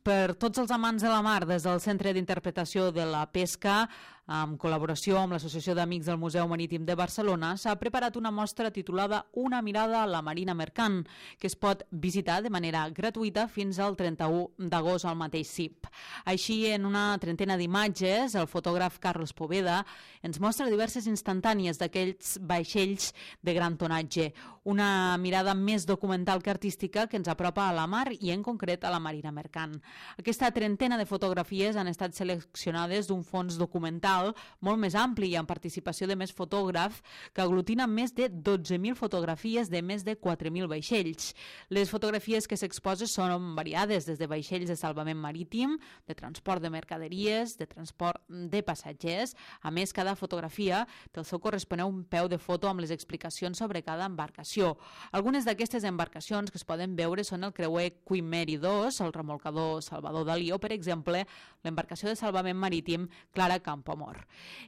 Per tots els amants de la mar, des del Centre d'Interpretació de la Pesca, en col·laboració amb l'Associació d'Amics del Museu Marítim de Barcelona, s'ha preparat una mostra titulada Una mirada a la marina mercant, que es pot visitar de manera gratuïta fins al 31 d'agost al mateix CIP. Així, en una trentena d'imatges, el fotògraf Carlos Poveda ens mostra diverses instantànies d'aquells vaixells de gran tonatge, una mirada més documental que artística que ens apropa a la mar i en concret a la marina mercant. Aquesta trentena de fotografies han estat seleccionades d'un fons documental molt més ampli i amb participació de més fotògrafs que aglutina més de 12.000 fotografies de més de 4.000 vaixells. Les fotografies que s'exposen són variades, des de vaixells de salvament marítim, de transport de mercaderies, de transport de passatgers. A més, cada fotografia té el seu corresponent peu de foto amb les explicacions sobre cada embarcació. Algunes d'aquestes embarcacions que es poden veure són el creuer Queen Mary II, el remolcador Salvador Dalí o, per exemple, l'embarcació de salvament marítim Clara Campoamor.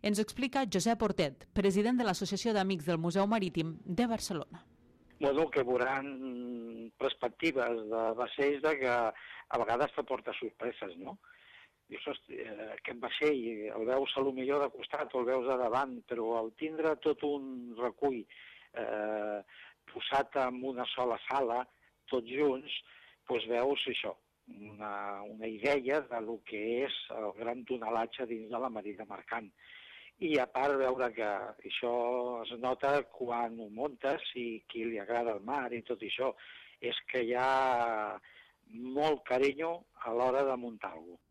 Ens ho explica Josep Hortet, president de l'Associació d'Amics del Museu Marítim de Barcelona. Bueno, que veuran perspectives de vaixells de que a vegades t'aporta sorpreses, no? Dius, hosti, aquest vaixell el veus a lo millor de costat o el veus a davant, però al tindre tot un recull posat en una sola sala, tots junts, doncs veus això, una idea de lo que és el gran tonelatge dins de la marina mercant. I a part veure que això es nota quan ho muntes i qui li agrada el mar i tot això, és que hi ha molt carinyo a l'hora de muntar alguna cosa.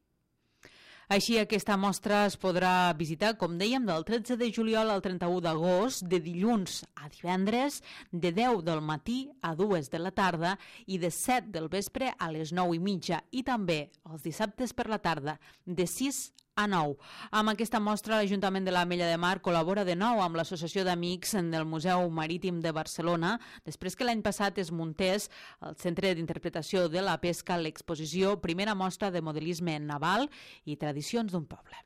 Així, aquesta mostra es podrà visitar, com dèiem, del 13 de juliol al 31 d'agost, de dilluns a divendres, de 10 del matí a 2 de la tarda i de 7 del vespre a les 9:30, i també els dissabtes per la tarda, de 6 a 9. Amb aquesta mostra, l'Ajuntament de l'Ametlla de Mar col·labora de nou amb l'Associació d'Amics del Museu Marítim de Barcelona, després que l'any passat es muntés al Centre d'Interpretació de la Pesca l'exposició Primera mostra de modelisme naval i tradicions d'un poble.